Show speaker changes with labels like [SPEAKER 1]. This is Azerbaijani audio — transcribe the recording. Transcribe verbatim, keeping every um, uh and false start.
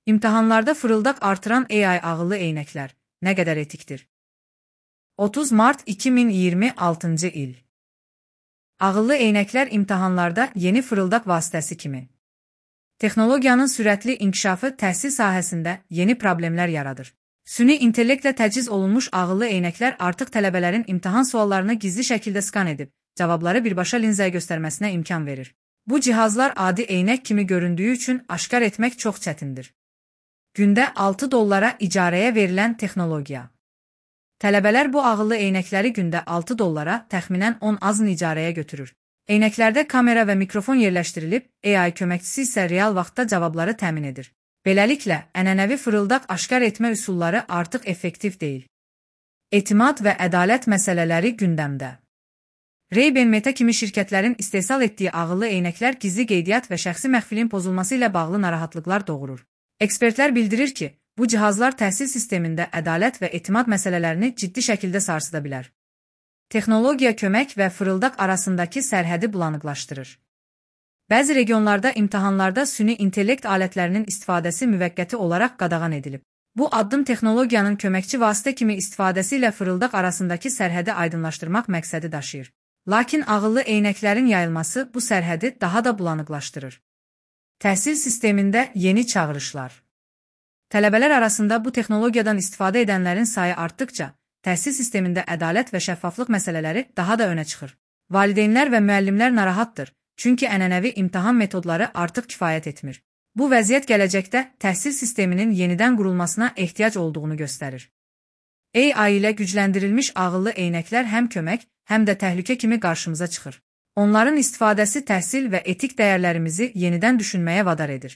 [SPEAKER 1] İmtahanlarda fırıldaq artıran A I ağıllı eynəklər nə qədər etikdir? otuz mart iki min iyirmi altıncı il. Ağıllı eynəklər imtahanlarda yeni fırıldaq vasitəsi kimi. Texnologiyanın sürətli inkişafı təhsil sahəsində yeni problemlər yaradır. Süni intellektlə təchiz olunmuş ağıllı eynəklər artıq tələbələrin imtahan suallarını gizli şəkildə skan edib, cavabları birbaşa linzaya göstərməsinə imkan verir. Bu cihazlar adi eynək kimi göründüyü üçün aşkar etmək çox çətindir. Gündə altı dollara icarəyə verilən texnologiya. Tələbələr bu ağıllı eynəkləri gündə altı dollara təxminən on azın icarəyə götürür. Eynəklərdə kamera və mikrofon yerləşdirilib, A I köməkçisi isə real vaxtda cavabları təmin edir. Beləliklə, ənənəvi fırıldaq aşkar etmə üsulları artıq effektiv deyil. Etimad və ədalət məsələləri gündəmdə. Ray-Ban Meta kimi şirkətlərin istehsal etdiyi ağıllı eynəklər gizli qeydiyyat və şəxsi məxfilin pozulması ilə bağlı narahatlıqlar doğurur. Ekspertlər bildirir ki, bu cihazlar təhsil sistemində ədalət və etimad məsələlərini ciddi şəkildə sarsıda bilər. Texnologiya kömək və fırıldaq arasındakı sərhədi bulanıqlaşdırır. Bəzi regionlarda imtahanlarda süni intellekt alətlərinin istifadəsi müvəqqəti olaraq qadağan edilib. Bu addım texnologiyanın köməkçi vasitə kimi istifadəsi ilə fırıldaq arasındakı sərhədi aydınlaşdırmaq məqsədi daşıyır. Lakin ağıllı eynəklərin yayılması bu sərhədi daha da bulanıqlaşdırır. Təhsil sistemində yeni çağırışlar. Tələbələr arasında bu texnologiyadan istifadə edənlərin sayı artdıqca, təhsil sistemində ədalət və şəffaflıq məsələləri daha da önə çıxır. Valideynlər və müəllimlər narahatdır, çünki ənənəvi imtahan metodları artıq kifayət etmir. Bu vəziyyət gələcəkdə təhsil sisteminin yenidən qurulmasına ehtiyac olduğunu göstərir. A I ilə gücləndirilmiş ağıllı eynəklər həm kömək, həm də təhlükə kimi qarşımıza çıxır. Onların istifadəsi təhsil və etik dəyərlərimizi yenidən düşünməyə vadar edir.